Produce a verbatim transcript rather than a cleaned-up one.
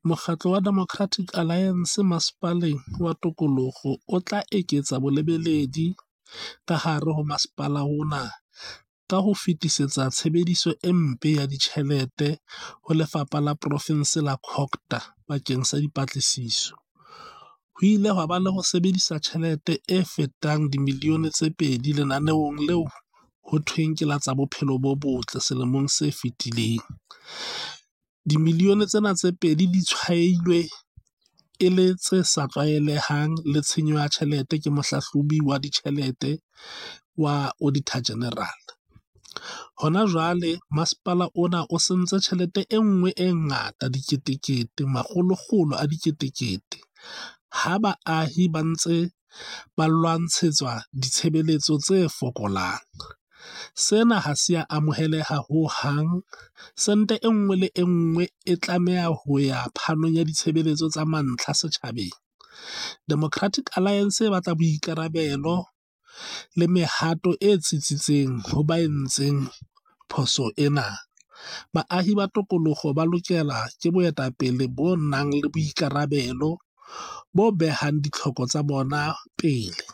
Mokgatlo wa Democratic Alliance Masepaleng wa Tokoloho o tla eketsa bolebeledi ka hare ho masepala ona ka ho fetisetsa tshebediso e mpe ya ditjhelete ho lefapha la profensi la COGTA bakeng sa dipatlisiso. Ho ile hwa ba le ho sebedisa tjhelete e fetang dimilione tse pedi lenaneong leo ho thweng ke la tsa bophelo bo botle selemong se fetileng. Dimilione tsena tse pedi di tshwailwe e le tse sa tlwaelehang le tshenyo ya tjhelete ke mohlahlobi wa ditjhelete wa Auditor General. Hona jwale masepala ona o sentse tjhelete e nngwe e ngata diketekete, makgolokgolo a diketekete ha baahi ba ntse ba lwantshetswa ditshebeletso tse fokolang. Sena ha se a amoheleha hohang. Sente e nngwe le e nngwe e tlameha ho ya phanong ya ditshebeletso tsa mantlha setjhabeng. Democratic Alliance e batla boikarabelo le mehato e tsitsitseng ho ba entseng phoso ena. Baahi ba tokoloho ba lokela ke boetapele bo nang le boikarabelo, bo behang ditlhoko tsa bona pele.